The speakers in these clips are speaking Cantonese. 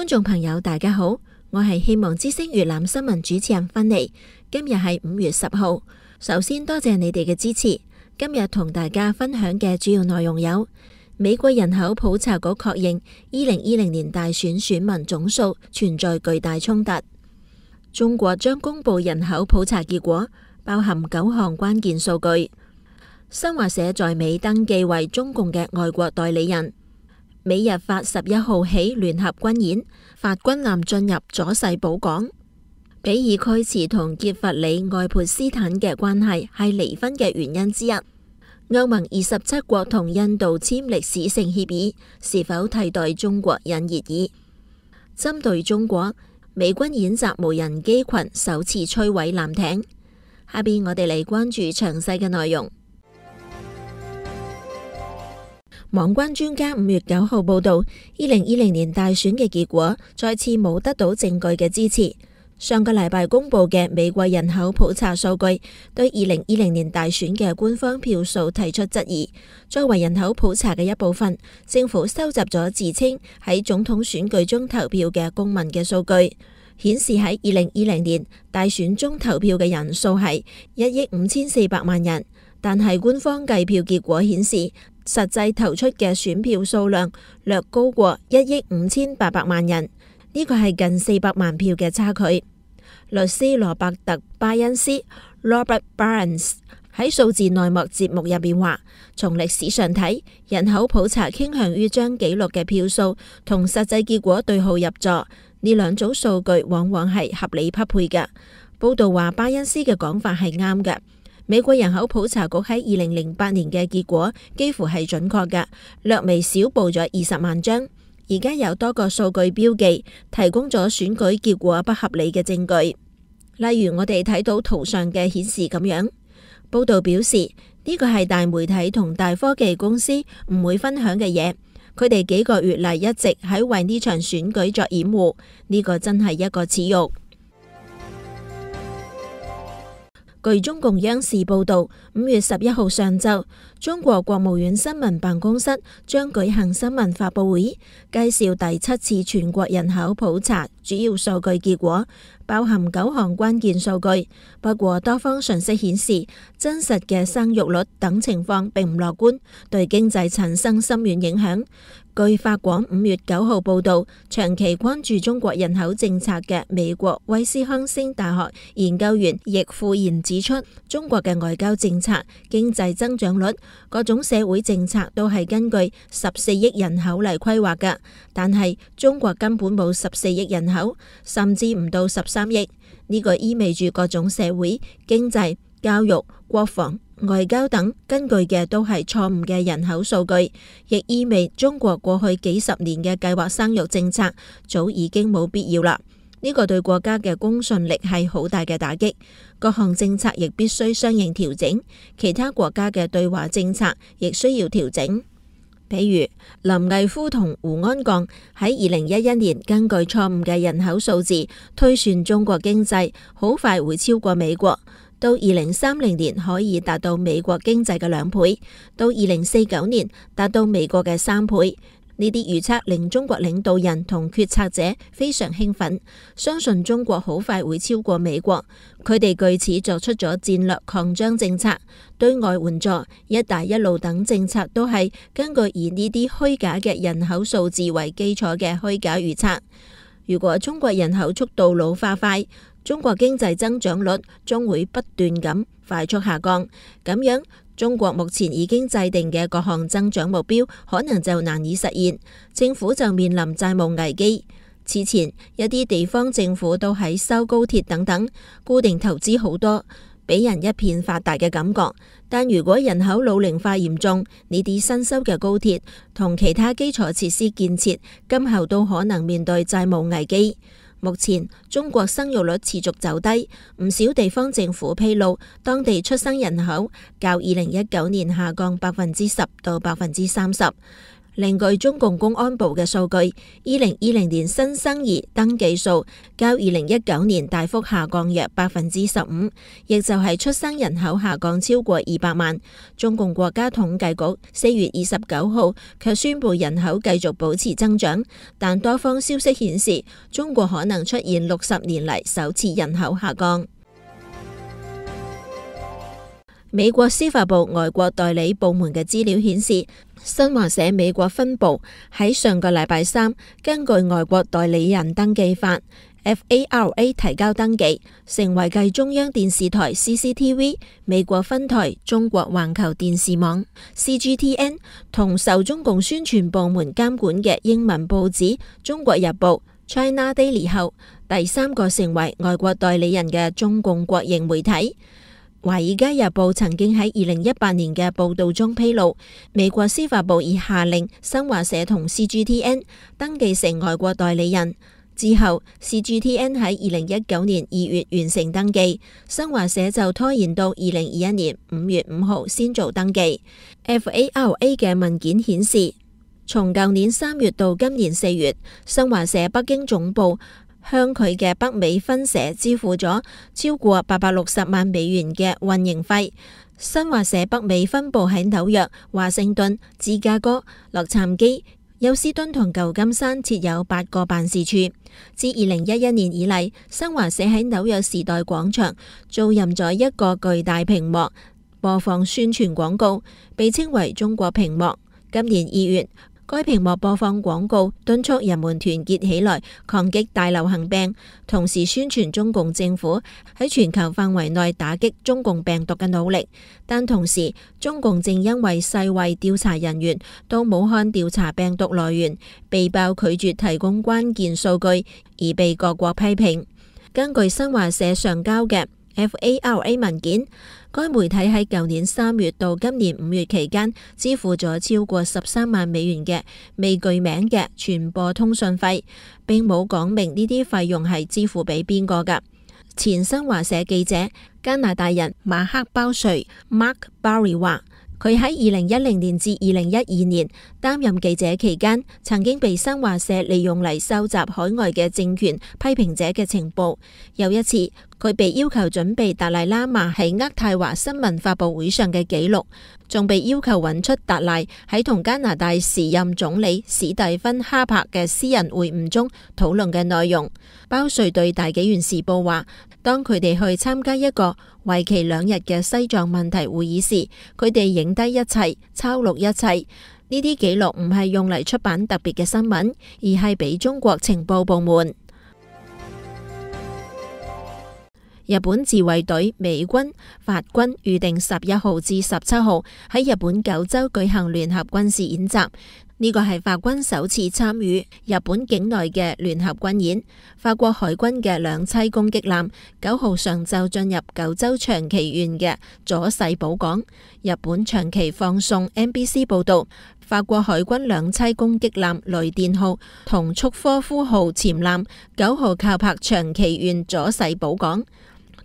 觀眾朋友大家好，我係希望之聲粵覽新聞主持人芬妮。今日係5月10號，首先多謝你哋嘅支持。今日同大家分享嘅主要內容有：美國人口普查局確認2020年大選選民總數存在巨大衝突；中國將公布人口普查結果，包含9項關鍵數據；新華社在美登記為中共嘅外國代理人；美日法11號起聯合軍演，法軍艦進入佐世保港；比爾蓋茨同傑弗里愛潑斯坦嘅關係係離婚嘅原因之一；歐盟27國同印度簽歷史性協議，是否替代中國引熱議？針對中國，美軍演習無人機群首次摧毀艦艇。下邊我哋嚟關注詳細嘅內容。網關專家5月9號報道，2020年大選嘅結果再次冇得到證據嘅支持。上個禮拜公布嘅美國人口普查數據對2020年大選嘅官方票數提出質疑。作為人口普查嘅一部分，政府收集咗自稱喺總統選舉中投票嘅公民嘅數據，顯示喺2020年大選中投票嘅人數係1億5400萬人，但係官方計票結果顯示，實際投出嘅選票數量略高過1億5800萬人，呢個係近400萬票嘅差距。律師羅伯特巴恩斯 （Robert Burns） 喺數字內幕節目入面話，從歷史上睇，人口普查傾向於將記錄嘅票數同實際結果對號入座，呢兩組數據往往係合理匹配嘅。報道話巴恩斯嘅講法係啱嘅。美國人口普查局喺2008年嘅結果幾乎係準確嘅，略微少報咗20萬張。而家有多個數據標記提供咗選舉結果不合理嘅證據，例如我哋睇到圖上嘅顯示咁樣。報道表示呢個係大媒體同大科技公司唔會分享嘅嘢，佢哋幾個月嚟一直喺為呢場選舉作掩護，呢個真係一個恥辱。據中共央視報道，5月11號上晝，中國國務院新聞辦公室將舉行新聞發佈會，介紹第7次全國人口普查主要數據結果，包含9項關鍵數據。不過多方信息顯示，真實嘅生育率等情況並唔樂觀，對經濟產生深遠影響。據法廣5月9號報道，長期關注中國人口政策嘅美國威斯康星大學研究員易富賢指出，中國嘅外交政策、經濟增長率、各種社會政策都係根據14億人口嚟規劃嘅，但係中國根本冇14億人口，甚至唔到13億。呢個意味住各種社會、經濟、教育、國防、外交等根據嘅都係錯誤嘅人口數據，亦意味中國過去幾十年嘅計劃生育政策早已經冇必要啦。呢個對國家嘅公信力係好大嘅打擊，各項政策亦必須相應調整，其他國家嘅對華政策亦需要調整。比如林毅夫同胡安鋼喺2011年根據錯誤嘅人口數字推算中國經濟好快會超過美國，到2030年可以達到美國經濟嘅2倍，到2049年達到美國嘅3倍。呢啲預測令中國領導人同決策者非常興奮，相信中國好快會超過美國。佢哋據此作出咗戰略擴張政策，對外援助、一帶一路等政策都係根據以呢啲虛假嘅人口數字為基礎嘅虛假預測。如果中國人口速度老化快，中國經濟增長率將會不斷咁快速下降，咁樣中國目前已經制定嘅各項增長目標可能就難以實現，政府就面臨債務危機。此前一啲地方政府都喺修高鐵等等，固定投資好多，俾人一片發達嘅感覺。但如果人口老齡化嚴重，呢啲新修嘅高鐵同其他基礎設施建設，今後都可能面對債務危機。目前中國生育率持續走低，唔少地方政府披露，當地出生人口較2019年下降10%到30%。另據中共公安部嘅數據，2020年新生兒登記數較2019年大幅下降約15%，亦就係出生人口下降超過200萬。中共國家統計局4月29號卻宣布人口繼續保持增長，但多方消息顯示，中國可能出現60年嚟首次人口下降。美國司法部外國代理部門嘅資料顯示，新華社美國分部喺上個禮拜三根據外國代理人登記法 FARA 提交登記，成為繼中央電視台 CCTV、美國分台中國環球電視網 CGTN 同受中共宣傳部門監管嘅英文報紙《中國日報》China Daily 後，第三個成為外國代理人嘅中共國營媒體。《華爾街日報》曾經喺2018年嘅報道中披露，美國司法部已下令新華社同 CGTN 登記成外國代理人。之後 CGTN 喺2019年2月完成登記，新華社就拖延到2021年5月5號先做登記。FARA 嘅文件顯示，從舊年3月到今年4月，新華社北京總部向佢嘅北美分社支付咗超過860萬美元嘅運營費。新華社北美分部喺紐約、華盛頓、芝加哥、洛杉磯、休斯敦同舊金山設有8個辦事處。自2011年以嚟，新華社喺紐約時代廣場租賃咗一個巨大屏幕播放宣傳廣告，被稱為中國屏幕。今年2月，該屏幕播放廣告，敦促人們團結起來抗擊大流行病，同時宣傳中共政府喺全球範圍內打擊中共病毒嘅努力。但同時，中共正因為世衛調查人員到武漢調查病毒來源，被曝拒絕提供關鍵數據，而被各國批評。根據新華社上交嘅FARA 文件，該媒體喺舊年3月到今年5月期間支付咗超過13萬美元嘅未具名嘅傳播通訊費，並冇講明呢啲費用係支付俾邊個㗎。前新華社記者加拿大人馬克鮑瑞 Mark Barry 話，佢喺2010年至2012年擔任記者期間，曾經被新華社利用嚟收集海外嘅政權批評者嘅情報。有一次，佢被要求準備達賴喇嘛喺渥太華新聞發佈會上嘅記錄，仲被要求揾出達賴喺同加拿大時任總理史蒂芬哈珀嘅私人會晤中討論嘅內容。鮑瑞對大紀元時報話，當佢哋去參加一個為期2日嘅西藏問題會議時，佢哋影低一切，抄錄一切。呢啲記錄唔係用嚟出版特別嘅新聞，而係俾中國情報部門。日本自衛隊、美軍、法軍預定11號至17號喺日本九州舉行聯合軍事演習。呢個係法軍首次參與日本境內嘅聯合軍演。法國海軍嘅兩棲攻擊艦9號上晝進入九州長崎縣嘅佐世保港。日本長崎放送 NBC 報道，法國海軍兩棲攻擊艦雷電號同速科夫號潛艦9號靠泊長崎縣佐世保港。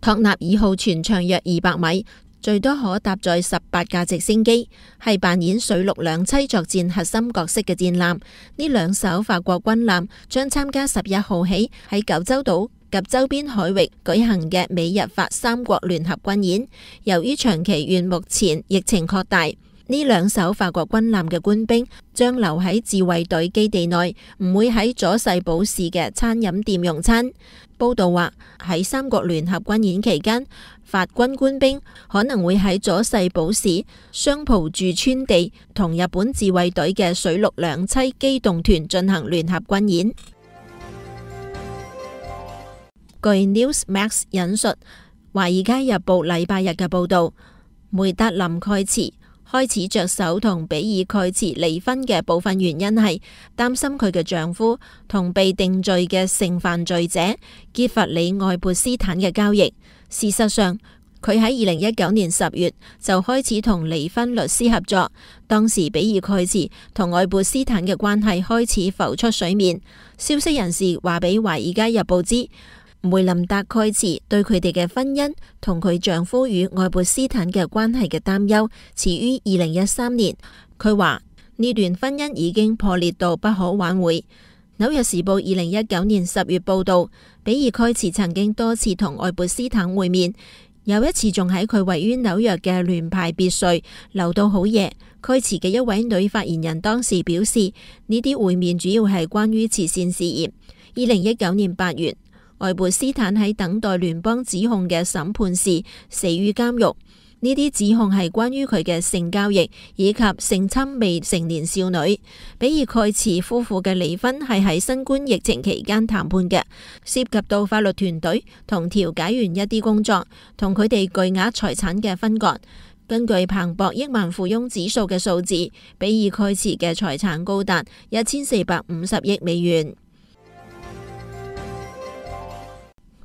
托納爾號全長約200米，最多可搭載18架直升機，係扮演水陸兩棲作戰核心角色嘅戰艦。呢兩艘法國軍艦將參加11號起喺九州島及周邊海域舉行嘅美日法3國聯合軍演。由於長崎縣目前疫情擴大，呢兩艘法國軍艦嘅官兵將留喺自衛隊基地內，唔會喺佐世保市嘅餐飲店用餐。報道話，喺3國聯合軍演期間，法軍官兵可能會喺佐世保市相浦駐村地同日本自衛隊嘅水陸兩棲機動團進行聯合軍演。據 Newsmax 引述《華爾街日報》禮拜日嘅報道，梅達林蓋茨開始着手同比爾蓋茨離婚嘅部分原因係擔心佢嘅丈夫同被定罪嘅性犯罪者傑弗里愛潑斯坦嘅交易。事實上，佢喺2019年10月就開始同離婚律師合作，當時比爾蓋茨同愛潑斯坦嘅關係開始浮出水面。消息人士話俾《華爾街日報》知，梅林達蓋茨對佢哋嘅婚姻同佢丈夫與愛潑斯坦嘅關係嘅擔憂始於2013年。佢話呢段婚姻已經破裂到不可挽回。紐約時報2019年10月報道，比爾蓋茨曾經多次同愛潑斯坦會面，有一次仲喺佢位於紐約嘅聯排別墅留到好夜。蓋茨嘅一位女發言人當時表示，呢啲會面主要係關於慈善事業。2019年8月，愛潑斯坦喺等待聯邦指控嘅審判時死於監獄。呢啲指控係關於佢嘅性交易以及性侵未成年少女。比爾蓋茨夫婦嘅離婚係喺新冠疫情期間談判嘅，涉及到法律團隊同調解員一啲工作，同佢哋巨額財產嘅分割。根據彭博億萬富翁指數嘅數字，比爾蓋茨嘅財產高達1450億美元。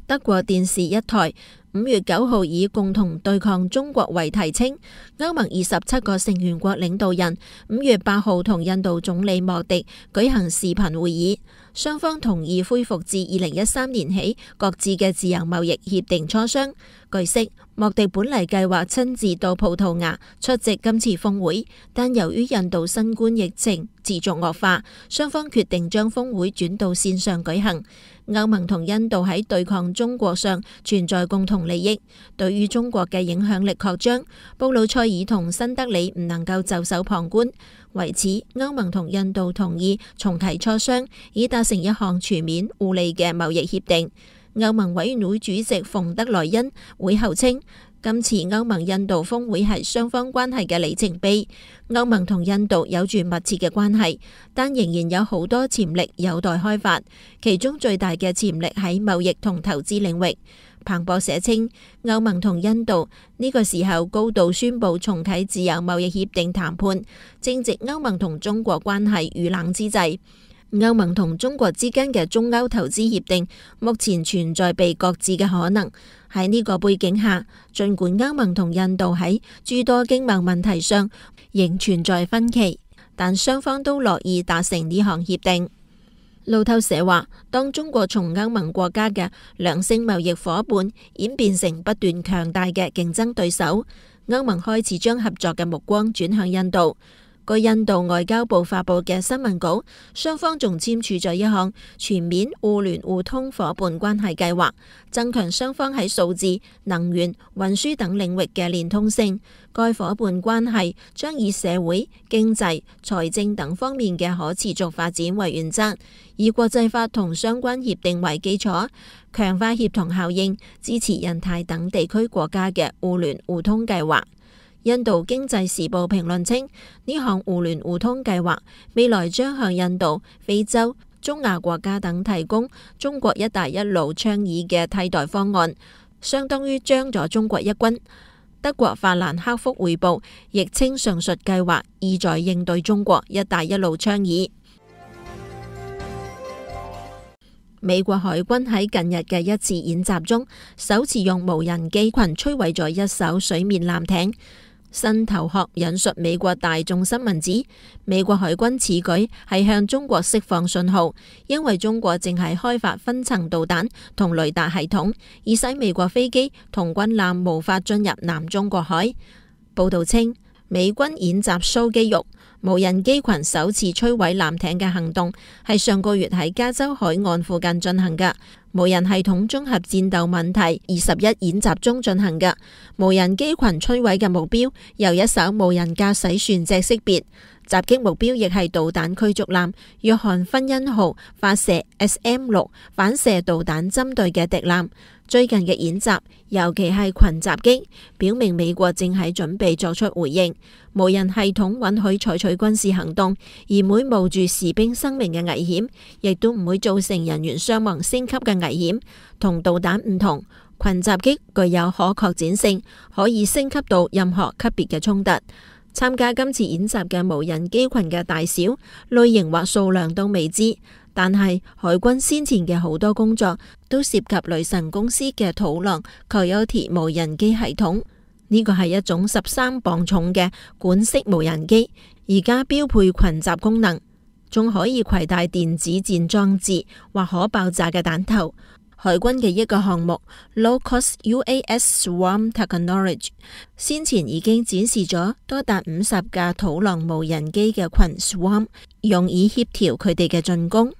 德國電視一台5月9號以共同對抗中國為題稱，歐盟27個成員國領導人5月8號同印度總理莫迪舉行視頻會議，雙方同意恢復自2013年起各自嘅自由貿易協定磋商。據悉，莫迪本嚟計劃親自到葡萄牙出席今次峰會，但由於印度新冠疫情持續惡化，雙方決定將峰會轉到線上舉行。歐盟同印度喺對抗中國上存在共同利益，對於中國嘅影響力擴張，布魯塞爾同新德里唔能夠袖手旁觀。為此，歐盟同印度同意重啟磋商，以達成一項全面互利嘅貿易協定。歐盟委員會主席馮德萊恩會後稱，今次歐盟印度峰會係雙方關係嘅里程碑。歐盟同印度有住密切嘅關係，但仍然有好多潛力有待開發，其中最大嘅潛力喺貿易同投資領域。彭博社稱，歐盟同印度呢個時候高度宣布重啟自由貿易協定談判，正值歐盟同中國關係遇冷之際。歐盟同中國之間嘅中歐投資協定目前存在被擱置嘅可能。喺呢個背景下，儘管歐盟同印度喺諸多經貿問題上仍存在分歧，但雙方都樂意達成呢項協定。路透社話，當中國從歐盟國家嘅良性貿易夥伴演變成不斷強大嘅競爭對手，歐盟開始將合作嘅目光轉向印度。據印度外交部發佈嘅新聞稿，雙方仲簽署咗一項全面互聯互通夥伴關係計劃，增強雙方喺數字、能源、運輸等領域嘅連通性。該夥伴關係將以社會、經濟、財政等方面嘅可持續發展為原則，以國際法同相關協定為基礎，強化協同效應，支持印太等地區國家嘅互聯互通計劃。印度經濟時報評論稱，呢項互聯互通計劃未來將向印度、非洲、中亞國家等提供中國一帶一路倡議嘅替代方案，相當於將咗中國一軍。德國法蘭克福匯報亦稱上述計劃意在應對中國一帶一路倡議。美國海軍喺近日嘅一次演習中，首次用無人機群摧毀咗一艘水面艦艇。新頭殼引述美國大眾新聞指，美國海軍此舉係向中國釋放信號，因為中國正係開發分層導彈同雷達系統，以使美國飛機同軍艦無法進入南中國海。報道稱，美軍演習蘇肌肉，無人機群首次摧毀艦艇嘅行動係上個月喺加州海岸附近進行嘅。無人系統綜合戰鬥問題21演習中進行嘅。無人機群摧毀嘅目標由一艘無人駕駛船隻識別，襲擊目標亦係導彈驅逐艦約翰芬恩號發射 SM-6反射導彈針對嘅敵艦。最近嘅演習，尤其係群襲擊，表明美國正喺準備作出回應。無人系統允許採取軍事行動，而唔會冒住士兵生命嘅危險，亦都唔會造成人員傷亡升級嘅危險。同導彈唔同，群襲擊具有可擴展性，可以升級到任何級別嘅衝突。參加今次演習嘅無人機群嘅大小、類型或數量都未知，但係海軍先前嘅好多工作都涉及雷神公司嘅土狼 Coyote 無人機系統。呢個係一種13磅重嘅管式無人機，而家標配群襲功能，仲可以攜帶電子戰裝置或可爆炸嘅彈頭。海軍嘅一個項目 Low-Cost UAS Swarm Technology 先前已經展示咗多達50架土狼無人機嘅群 Swarm， 用以協調佢哋嘅進攻。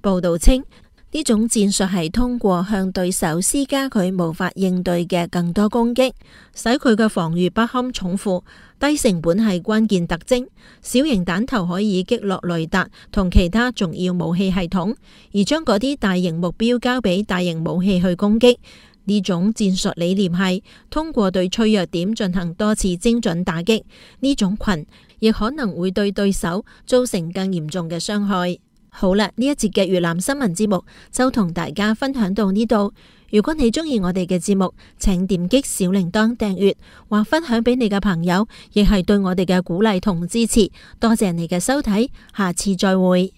報道稱，呢種戰術係通過向對手施加佢無法應對嘅更多攻擊，使佢嘅防禦不堪重負。低成本係關鍵特徵，小型彈頭可以擊落雷達同其他重要武器系統，而將嗰啲大型目標交俾大型武器去攻擊。呢種戰術理念係通過對脆弱點進行多次精準打擊，呢種群亦可能會對對手造成更嚴重嘅傷害。好啦，呢一節嘅越南新聞節目就同大家分享到呢度。如果你中意我哋嘅節目，請點擊小鈴鐺訂閱或分享俾你嘅朋友，亦係對我哋嘅鼓勵同支持。多謝你嘅收睇，下次再會。